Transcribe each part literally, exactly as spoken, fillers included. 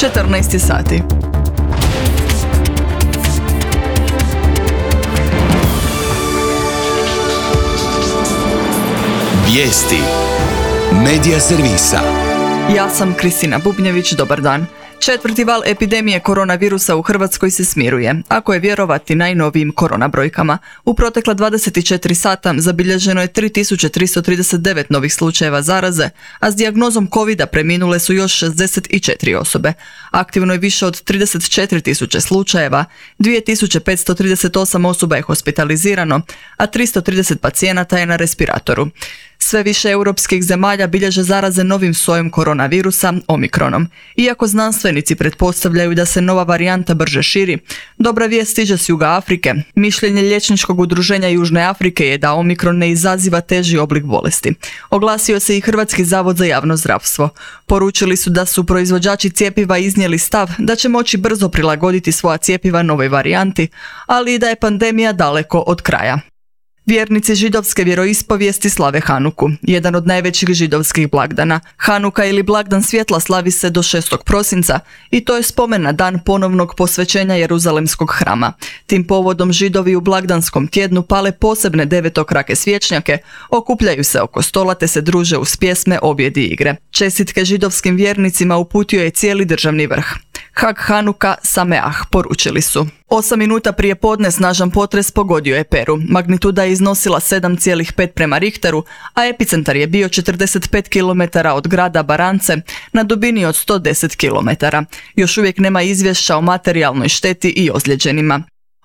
četrnaest sati. Vijesti Medija servisa. Ja sam Kristina Bubnjević, dobar dan. Četvrti val epidemije koronavirusa u Hrvatskoj se smiruje, ako je vjerovati najnovijim korona brojkama. U protekla dvadeset četiri sata zabilježeno je tri tisuće tristo trideset devet novih slučajeva zaraze, a s dijagnozom covida preminule su još šezdeset četiri osobe. Aktivno je više od trideset četiri tisuće slučajeva, dvije tisuće petsto trideset osam osoba je hospitalizirano, a tristo trideset pacijenata je na respiratoru. Sve više europskih zemalja bilježe zaraze novim sojem koronavirusa, omikronom. Iako znanstvenici pretpostavljaju da se nova varijanta brže širi, dobra vijest stiže s juga Afrike. Mišljenje liječničkog udruženja Južne Afrike je da omikron ne izaziva teži oblik bolesti. Oglasio se i Hrvatski zavod za javno zdravstvo. Poručili su da su proizvođači cjepiva iznijeli stav da će moći brzo prilagoditi svoja cjepiva novoj varijanti, ali i da je pandemija daleko od kraja. Vjernici židovske vjeroispovijesti slave Hanuku, jedan od najvećih židovskih blagdana. Hanuka ili blagdan svjetla slavi se do šestog prosinca i to je spomen na dan ponovnog posvećenja Jeruzalemskog hrama. Tim povodom Židovi u blagdanskom tjednu pale posebne devetokrake svječnjake, okupljaju se oko stola te se druže uz pjesme, objedi i igre. Čestitke židovskim vjernicima uputio je cijeli državni vrh. Hag Hanuka Sameah, poručili su. Osam minuta prije podne snažan potres pogodio je Peru. Magnituda je iznosila sedam zarez pet prema Richteru, a epicentar je bio četrdeset pet kilometara od grada Barance na dubini od sto deset kilometara. Još uvijek nema izvješća o materijalnoj šteti i ozlijeđenima.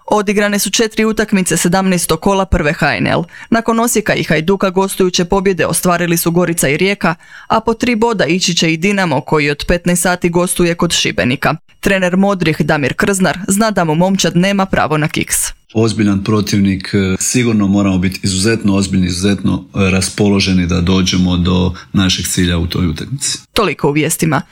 Odigrane su četiri utakmice sedamnaestog kola prve ha en el. Nakon Osijeka i Hajduka gostujuće pobjede ostvarili su Gorica i Rijeka, a po tri boda ići će i Dinamo koji od petnaest sati gostuje kod Šibenika. Trener Modrih Damir Krznar zna da mu momčad nema pravo na kiks. Ozbiljan protivnik, sigurno moramo biti izuzetno ozbiljni, izuzetno raspoloženi da dođemo do našeg cilja u toj utakmici. Toliko u vijestima.